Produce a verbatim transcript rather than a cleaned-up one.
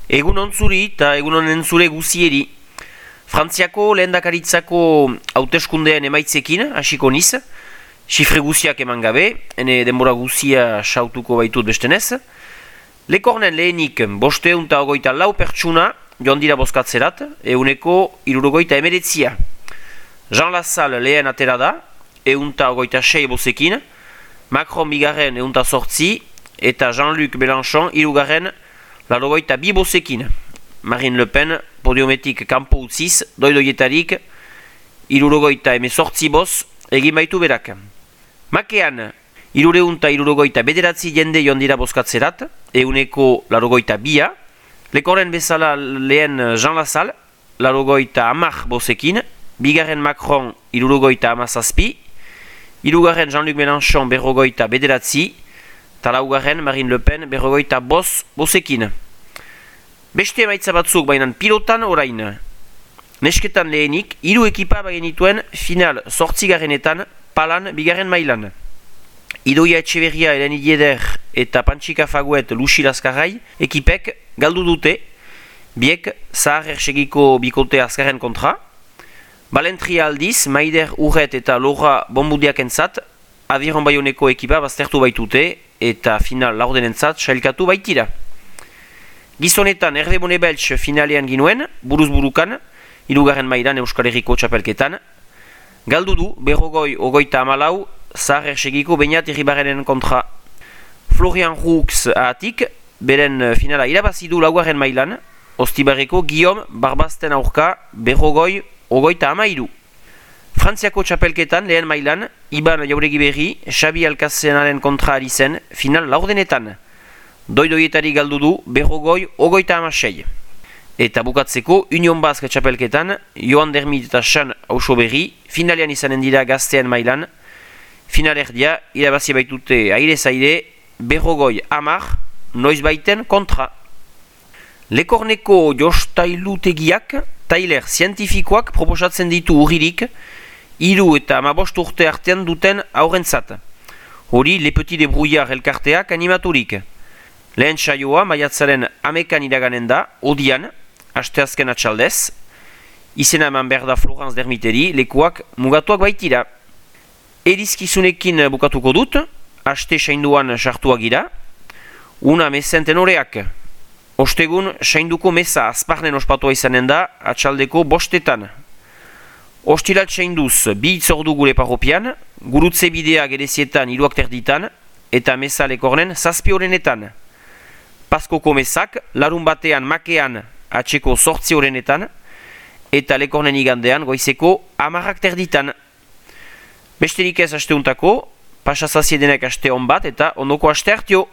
Egun ontzuri eta egun honen zure guzieri. Frantziako lehendakaritzako hauteskundeen emaitzekin hasiko niz, xifre guziak eman gabe, ene denbora guzia sautuko baitut bestenez. Lekornen lehenik bosteun eta ogoita lau pertsuna joan dira bozkatzerat, euneko irurogoita emeretzia. Jean Lassalle lehen atera da, eun eta ogoita sei bozekin, Macron bigarren eun eta sortzi, eta Jean-Luc Mélenchon irugarren larogoita bi bozekin. Marine Le Pen podiometik kanpo utziz, doidoietarik irurogoita emezortzi boz egin baitu berak. Makean, irureun eta irurogoita bederatzi jende joan dira bozkatzerat, euneko larogoita bia. Lekorren bezala lehen Jean Lassalle, larogoita amak bozekin, bigarren Macron irurogoita amazazpi, irugarren Jean-Luc Mélenchon berrogoita bederatzi, eta laugarren Marine Le Pen berrogoita boz bozekin. Beste emaitza batzuk bainan pilotan orain. Nesketan lehenik, hiru ekipa bagenituen final zortzigarrenetan palan bigarren mailan. Idoia Etxeberria, Eleni Dieder eta Pantsika Faguet Luxi Laskarrai ekipek galdu dute, biek zahar ersegiko bikote azkarren kontra. Balentria aldiz, Maider Urret eta Laura Bonbudiakentzat, Aviron Bayoneko ekipa baztertu baitute eta final laurdenentzat sailkatu baitira. Gizonetan Hervé Bonne-Belch finalean ginuen, buruz burukan, hirugarren mailan Euskal Herriko txapelketan. Galdu du, berrogoi ogoita amalau, zahar ersegiko Beñat Irribarrenen kontra. Florian Roux ahatik, beren finala irabazi du laugarren mailan, Ostibarreko Guillaume Barbazten aurka, berrogoi ogoita amairu. Frantziako txapelketan lehen mailan, Iban Jauregi Berri, Xabi Alkazenaren kontra ari zen, final laurdenetan. Doidoietari galdu du, berrogoi ogoita amasei. Eta bukatzeko, Union Basque txapelketan, Joan Dermit eta Xan Ausoberri, finalean izanen dira gaztean mailan, finalerdia, irabazi baitute aire-zaire, berrogoi amar, noiz baiten kontra. Lekorneko jostailutegiak, tailer zientifikoak proposatzen ditu urririk, hiru eta hamabost urte artean duten aurrentzat. Hori, Le Petit Debrouillard elkarteak animaturik. Lehen saioa maiatzaren amekan iraganen da, odian, asteazken atxaldez, izena eman behar da Florence Dermiteri, lekuak mugatuak baitira. Erizkizunekin bukatuko dut, aste sainduan sartuak gira, una mezen tenoreak. Ostegun, sainduko meza azparnen ospatua izanen da, atxaldeko bostetan. Ostilat sainduz, bi itzordu gure parropian, gurutze bidea gerezietan iruak terditan, eta meza lekornen zazpi horrenetan. Paskoko mezak, larun batean makean atxeko sortzi horrenetan, eta lekornen igandean goizeko amarrak terditan. Besterik ez asteuntako, pasazaziedenek aste hon bat eta ondoko aste hartio.